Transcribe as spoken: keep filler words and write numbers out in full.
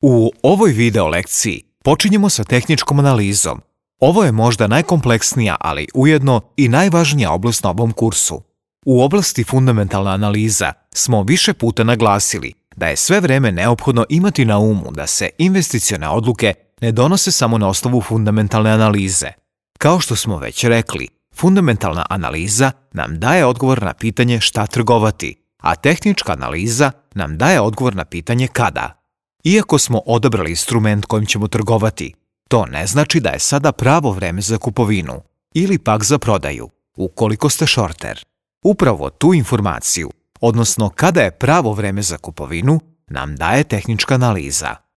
U ovoj video lekciji počinjemo sa tehničkom analizom. Ovo je možda najkompleksnija, ali ujedno i najvažnija oblast na ovom kursu. U oblasti fundamentalna analiza smo više puta naglasili da je sve vreme neophodno imati na umu da se investicione odluke ne donose samo na osnovu fundamentalne analize. Kao što smo već rekli, fundamentalna analiza nam daje odgovor na pitanje šta trgovati, a tehnička analiza nam daje odgovor na pitanje kada. Iako smo odabrali instrument kojim ćemo trgovati, to ne znači da je sada pravo vreme za kupovinu ili pak za prodaju, ukoliko ste shorter. Upravo tu informaciju, odnosno kada je pravo vreme za kupovinu, nam daje tehnička analiza.